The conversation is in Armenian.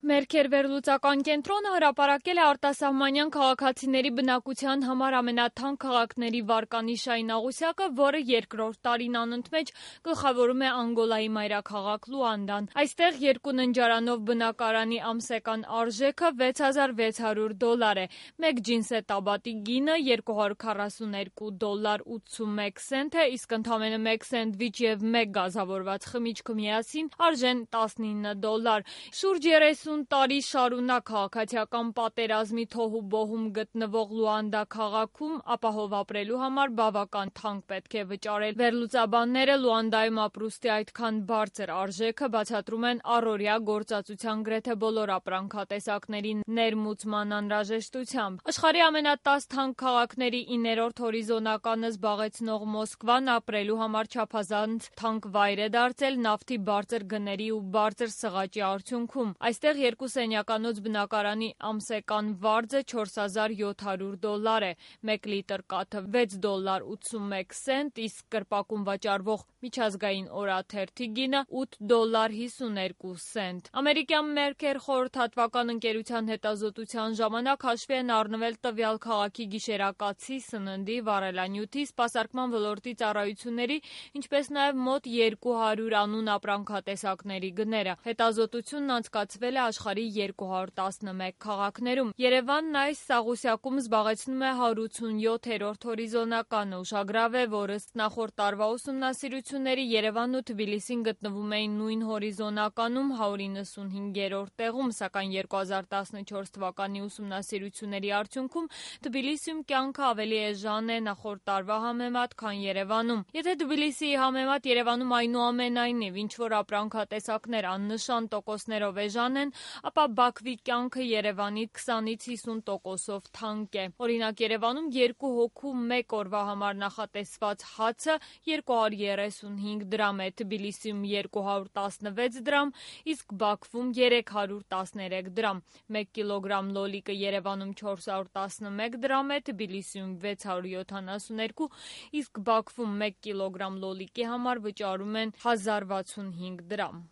Մերքեր վերլուծական կենտրոնը հրապարակել է արտասահմանյան քաղաքացիների բնակության համար ամենաթանկ քաղաքների վարկանիշային աղյուսակը, որը երկրորդ տարին անընդմեջ գլխավորում է Անգոլայի մայրաքաղաք Լուանդան։ Այստեղ երկու ննջարանով բնակարանի ամսական արժեքը $6600 է։ Մեկ ջինսե-տաբատի գինը $242.81 է, իսկ ընդամենը մեկ սենդվիչ և մեկ գազավորված խմիչքը միասին արժեն $19։ Շուրջ 30 տարի շարունակ քաղաքացիական պատերազմի թոհուբոհում գտնվող Լուանդա քաղաքում ապահով ապրելու համար բավական թանկ պետք է վճարել։ Վերլուծաբանները Լուանդայում ապրուստի այդքան բարձր արժեքը բացատրում են առօրյա գործածության գրեթե բոլոր ապրանքատեսակների ներմուծման անհրաժեշտությամբ։ Աշխարհի ամենատաս թանկ քաղաքների 9-րդ հորիզոնականը զբաղեցնող Մոսկվան ապրելու համար չափազանց թանկ վայր է դարձել նավթի բարձր գների ու բարձր սղաճի արդյունքում։ Այստեղ երկու սենյականոց բնակարանի ամսական վարձը $4700 է, մեկ լիտր կաթը $6.81, իսկ կրպակում վաճառվող միջազգային օրաթերթի գինը $8.52։ Ամերիկյան Մերքեր խորհրդատվական ընկերության հետազոտության ժամանակ հաշվի են առնվել տվյալ քաղաքի գիշերակացի, սննդի, վառելանյութի, սպասարկման ոլորտի ծառայությունների, ինչպես նաև մոտ 200 անուն ապրանքատեսակների գները։ Հետազոտությունն անցկացվել է աշխարհի 211 քաղաքներում։ Երևանն այս աղյուսակում զբաղեցնում է 187-րդ հորիզոնականը։ Ուշագրավ է, որ ըստ նախորդ տարվա ուսումնասիրությունների Երևանն ու Թբիլիսին գտնվում էին նույն հորիզոնականում 195-րդ տեղում, սակայն 2014 թվականի ուսումնասիրությունների արդյունքում Թբիլիսիում կյանքը ավելի էժան է նախորդ տարվա համեմատ, քան Երևանում։ Եթե Թբիլիսիի համեմատ Երևանում այնուամենայնիվ ինչ-որ ապրանքատեսակներ աննշան տոկոսներով էժան են, ապա Բաքվի կյանքը Երևանի 20-ից 50%-ով թանկ է։ Օրինակ Երևանում երկու հոգու մեկ օրվա համար նախատեսված հացը 235 դրամ է, Թբիլիսիում 216 դրամ, իսկ Բաքվում 313 դրամ։ 1 կիլոգրամ լոլիկը Երևանում 411 դրամ է, Թբիլիսիում 672, իսկ Բաքվում 1 կիլոգրամ լոլիկի համար վճարում են 1065 դրամ։